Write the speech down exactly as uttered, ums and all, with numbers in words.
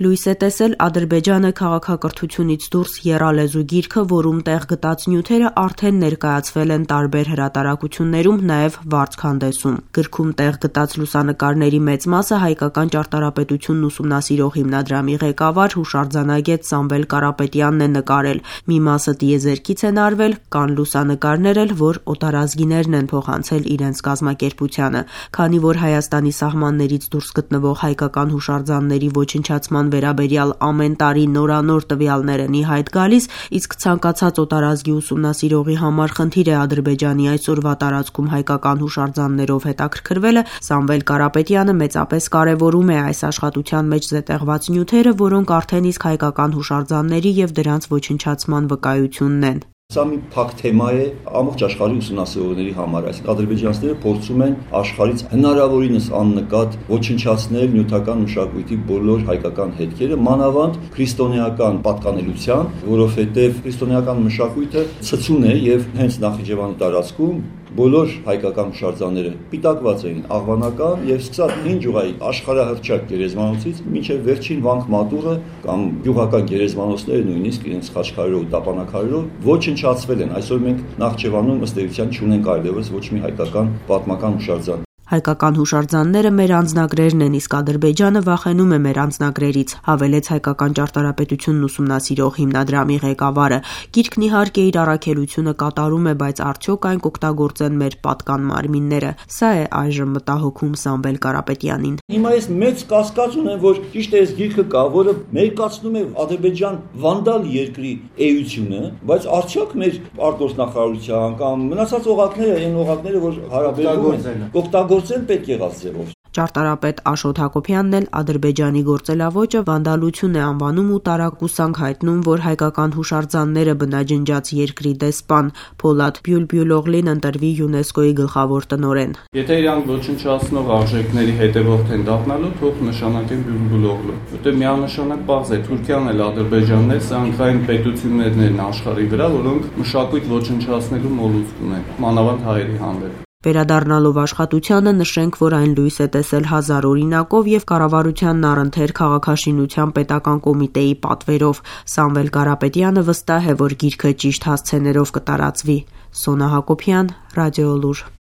Լույս է տեսել Ադրբեջանը քաղաքակրթությունից դուրս եռալեզու գիրքը, որում տեղ գտած նյութերը արդեն ներկայացվել են տարբեր հրատարակություններում, նաև վարձքանդեսում։ Գրքում տեղ գտած լուսանկարների մեծ մասը հայկական ճարտարապետությունն ուսումնասիրող հիմնադրամի ղեկավար, հուշարձանագետ Սամվել Կարապետյանն է նկարել։ Մի մասը տիեզերքից են արվել, կան լուսանկարներ էլ, որ օտարազգիներն են փոխանցել իրենց կազմակերպությանը։ Քանի որ Հայաստանի սահմաններից դուրս գտնվող հայկական հուշարձանների ոչնչացման վերաբերյալ ամեն տարի նորանոր տվյալներ են ի հայտ գալիս, իսկ ցանկացած օտարազգի ուսումնասիրողի համար խնդիր է Ադրբեջանի այսօրվա տարածքում հայկական հուշարձաններով հետաքրքրվելը, Սամվել Կարապետյանը մեծապես կարևորում է այս աշխատության մեջ զետեղված նյութերը, որոնք արդեն իսկ հայկական հուշարձանների և դրանց ոչնչացման վկայությունն են։ Սա մի փակ թեմա է ամբողջ աշխարհի ուսումնասիրողների համար, այսինքն ադրբեջանցիները փորձում են աշխարհից հնարավորինս աննկատ ոչնչացնել նյութական մշակույթի բոլոր հայկական հետքերը, մանավանդ քրիստոնեական պատկանելության, որովհետև քրիստոնեական մշակույթը ցցուն է եւ հենց Նախիջևանի տարածքում բոլոր հայկական հուշարձանները պիտակված էին աղվանական եւ սկսած հին ջուղայի աշխարհահռչակ գերեզմանոցից մինչեւ վերջին վանք մատուռը կամ գյուղական գերեզմանոցները նույնիսկ իրենց խաչքարերով ու տապանակարերով ոչնչացվել են։ Այսօր մենք Նախճեվանում ըստ էության չունենք այլևս ոչ մի հայկական պատմական հուշարձան։ Հայկական հուշարձանները մեր անձնագրերն են, իսկ Ադրբեջանը վախենում է մեր անձնագրերից, հավելեց հայկական ճարտարապետությունն ուսումնասիրող հիմնադրամի ղեկավարը։ Գիրքն իհարկե իր առաքելությունը կատարում է, բայց արդյոք այն կօգտագործեն մեր պատկան մարմինները։ Սա է այժմ մտահոգում Սամվել Կարապետյանին։ Հիմա ես մեծ կասկած ունեմ, որ ճիշտ է, այս գիրքը կա, որը մերկացնում է Ադրբեջան վանդալ երկրի էությունը, բայց արդյոք մեր արտգործնախարարության կամ մնացած օղակները, այն օղակները, որ հարաբերվում են, կօգտագործեն պետք եղած ձևով։ Ճարտարապետ Աշոտ Հակոբյանն էլ Ադրբեջանի գործելավոճը վանդալություն է անվանում ու տարակուսանք հայտնում, որ հայկական հուշարձանները բնաջնջած երկրի դեսպան Փոլադ Բյուլբյուլօղլին ընտրվի ՅՈՒՆԵՍԿՕ-ի գլխավոր տնօրեն։ Եթե իրանք ոչնչացնող արժեքների հետևորդ են դառնալու, թող նշանակեն Բյուլբյուլօղլու։ Որտեղ միանշանակ պարզ է, Թուրքիան էլ Ադրբեջանն էլ սրանք այն պետություններն են աշխարհի վրա, որոնք մշակույթ ոչնչացնելու մոլուցք ունեն, մանավանդ հայերի հանդեպ։ Վերադառնալով աշխատությանը նշենք, որ այն լույս է տեսել հազար օրինակով և կառավարությանն առընթեր քաղաքաշինության պետական կոմիտեի պատվերով։ Սամվել Կարապետյանը վստահ է, որ գիրքը ճիշտ հասցեներով կտարածվի։ Սոնա Հակոբյան, Ռադիոլուր։